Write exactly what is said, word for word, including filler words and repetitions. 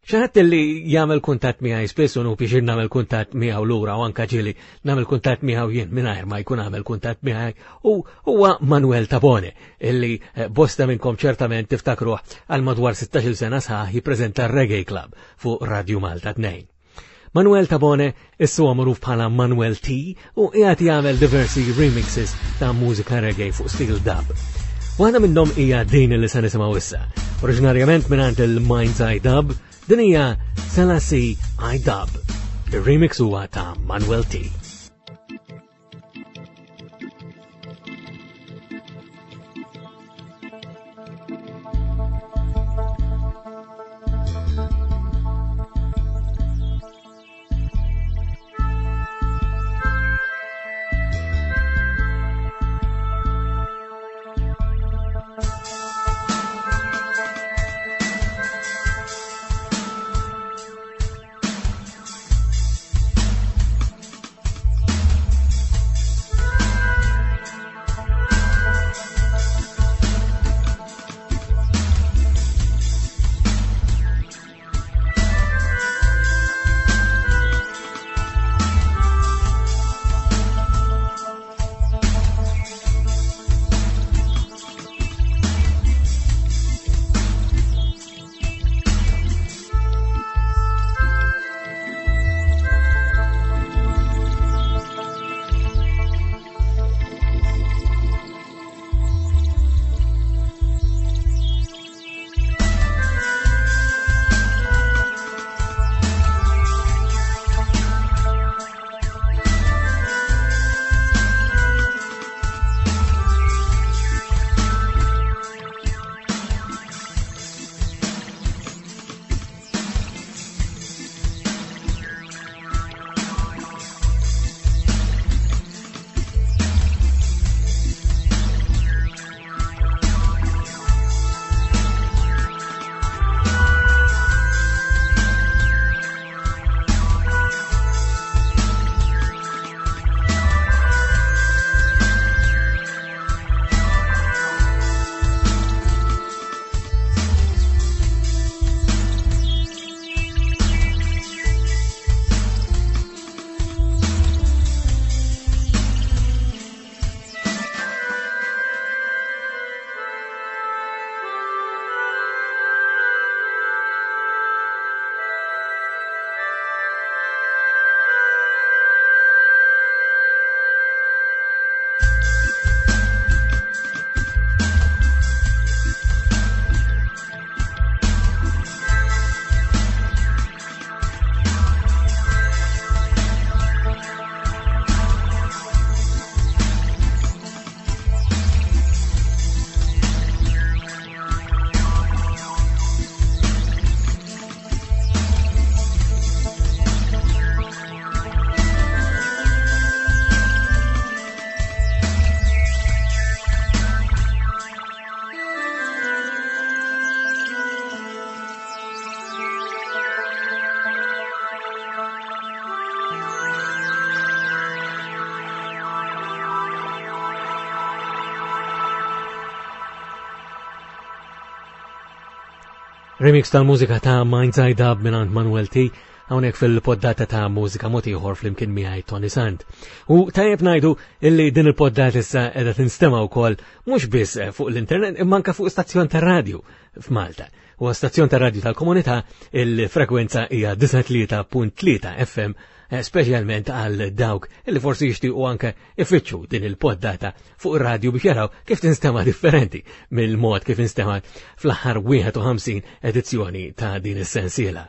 Xi ħadd li jagħmel kuntatt miegħi spiss u biex nagħmel kuntatt miegħu lura u anke ġieli nagħmel kuntatt miegħu jien mingħajr ma jkun għamel kuntatt miegħi u huwa Manuel Tabone illi eh, bosta minnkom ċertament tiftakruh għal madwar sittax-il sena sħaħ jippreżenta Reggae Club fuq Radio Malta tnejn. Manuel Tabone issu magħruf bħala Manuel T u qiegħed jagħmel diversi remixes ta' mużika reggae fuq stil dub. Waħda minnhom hija din li se nisimgħu issa. Oriġinarjament mingħand il-Mind's Eye Dub, din hija Selassie I Dub. Ir-remix huwa ta' Manuel T. Remix tal-mużika ta' Mind's Eye Dub mingħand Manuel T hawnhekk fil-poddata ta' Mużika Mod Ieħor flimkien miegħi Toni Sant. U tajjeb ngħidu illi din il-poddata issa qiegħda tinstema' wkoll mhux biss fuq l-internet imma anke fuq stazzjon tar-radju f'Malta. Huwa stazzjon tar-radju tal-komunità, il-frekwenza hija disgħa tlieta punt tlieta F M, speċjalment għal dawk illi forsi jixtiequ anke ifittxu din il-poddata fuq ir-radju biex jaraw kif tinstema' differenti mill-mod kif instema' fl-aħħar wieħed u ħamsin edizzjoni ta' din is-sensiela.